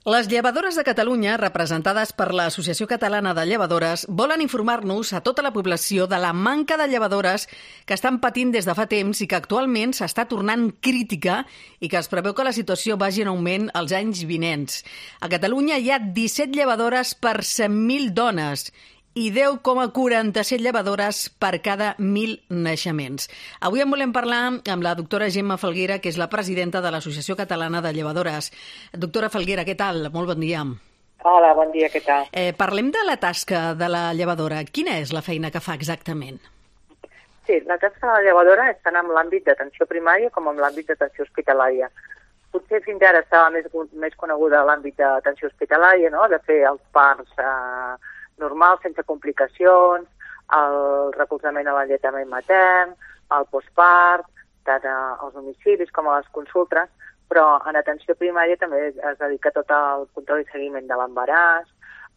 Les llevadores de Catalunya, representades per l'Associació Catalana de Llevadores, volen informar-nos a tota la població de la manca de llevadores que estan patint des de fa temps i que actualment s'està tornant crítica i que es preveu que la situació vagi en augment els anys vinents. A Catalunya hi ha 17 llevadores per 100.000 dones i 10,47 llevadores per cada 1.000 naixements. Avui en volem parlar amb la doctora Gemma Falguera, que és la presidenta de l'Associació Catalana de Llevadores. Doctora Falguera, què tal? Molt bon dia. Hola, bon dia, què tal? Parlem de la tasca de la llevadora. Quina és la feina que fa exactament? Sí, la tasca de la llevadora és tant en l'àmbit d'atenció primària com en l'àmbit d'atenció hospitalària. Potser fins ara estava més coneguda l'àmbit d'atenció hospitalària, no? De fer els parts normals, sense complicacions, el recolzament a l'alletament matern, el postpart, tant als domicilis com a les consultes, però en atenció primària també es dedica tot al control i seguiment de l'embaràs,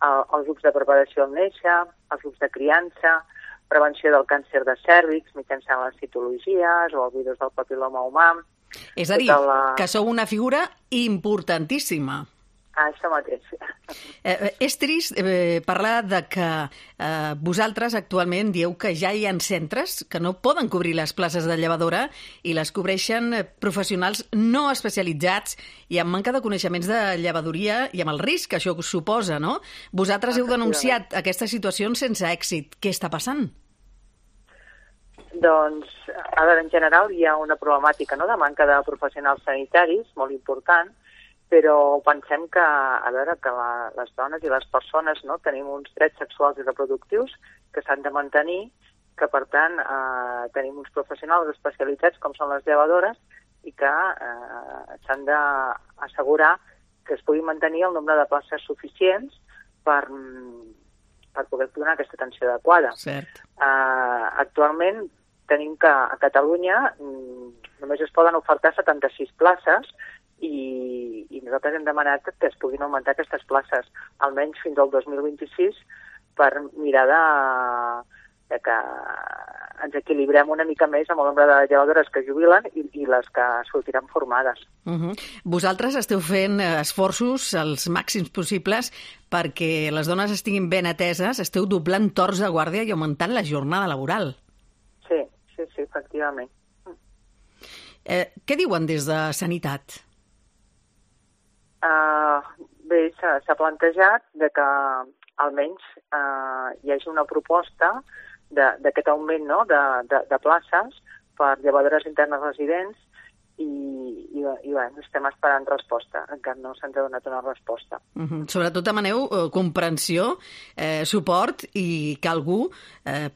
els grups de preparació al néixer, els grups de criança, prevenció del càncer de cèrvix mitjançant les citologies o el virus del papil·loma humà. És a dir, que sou una figura importantíssima. Això mateix. És trist parlar de que vosaltres actualment dieu que ja hi ha centres que no poden cobrir les places de llevadora i les cobreixen professionals no especialitzats i amb manca de coneixements de llevadoria i amb el risc que això suposa, no? Vosaltres heu denunciat aquestes situacions sense èxit. Què està passant? Doncs, a veure, en general hi ha una problemàtica, no?, de manca de professionals sanitaris molt important, però pensem que, a veure, que les dones i les persones, no, tenim uns drets sexuals i reproductius que s'han de mantenir, que per tant tenim uns professionals especialitzats com són les llevadores i que s'han d'assegurar que es pugui mantenir el nombre de places suficients per poder donar aquesta atenció adequada. Cert. Actualment tenim que a Catalunya només es poden ofertar 76 places i nosaltres hem demanat que es puguin augmentar aquestes places, almenys fins al 2026, per mirar de que ens equilibrem una mica més amb el nombre de llevadores que jubilen i les que sortiran formades. Vosaltres esteu fent esforços els màxims possibles perquè les dones estiguin ben ateses, esteu doblant torns de guàrdia i augmentant la jornada laboral. Sí, efectivament. Què diuen des de Sanitat? Bé, s'ha plantejat de que almenys hi hagi una proposta d'aquest augment, no?, de places per llevadores internes residents i bueno, estem esperant resposta. Encara no se'ns ha donat una resposta. Sobretot demaneu comprensió, suport i que algú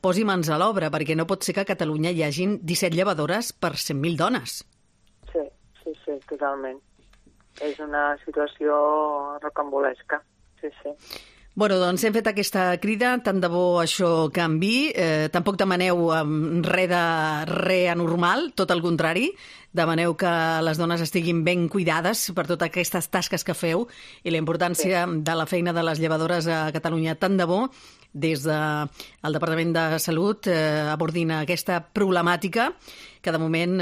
posi mans a l'obra, perquè no pot ser que a Catalunya hi hagin 17 llevadores per 100.000 dones. Sí, totalment. És una situació rocambolesca, sí. Bueno, doncs hem fet aquesta crida, tant de bo això canvi. Tampoc demaneu re anormal, tot el contrari. Demaneu que les dones estiguin ben cuidades per totes aquestes tasques que feu i la importància de la feina de les llevadores a Catalunya. Tant de bo, des del Departament de Salut, abordin aquesta problemàtica que de moment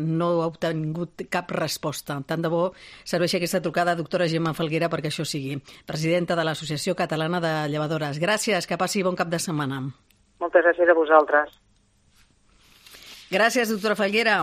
no ha obtingut cap resposta. Tant de bo serveixi aquesta trucada, doctora Gemma Falguera, perquè això sigui. Presidenta de l'Associació Catalana de Llevadores. Gràcies, que passi bon cap de setmana. Moltes gràcies a vosaltres. Gràcies, doctora Falguera.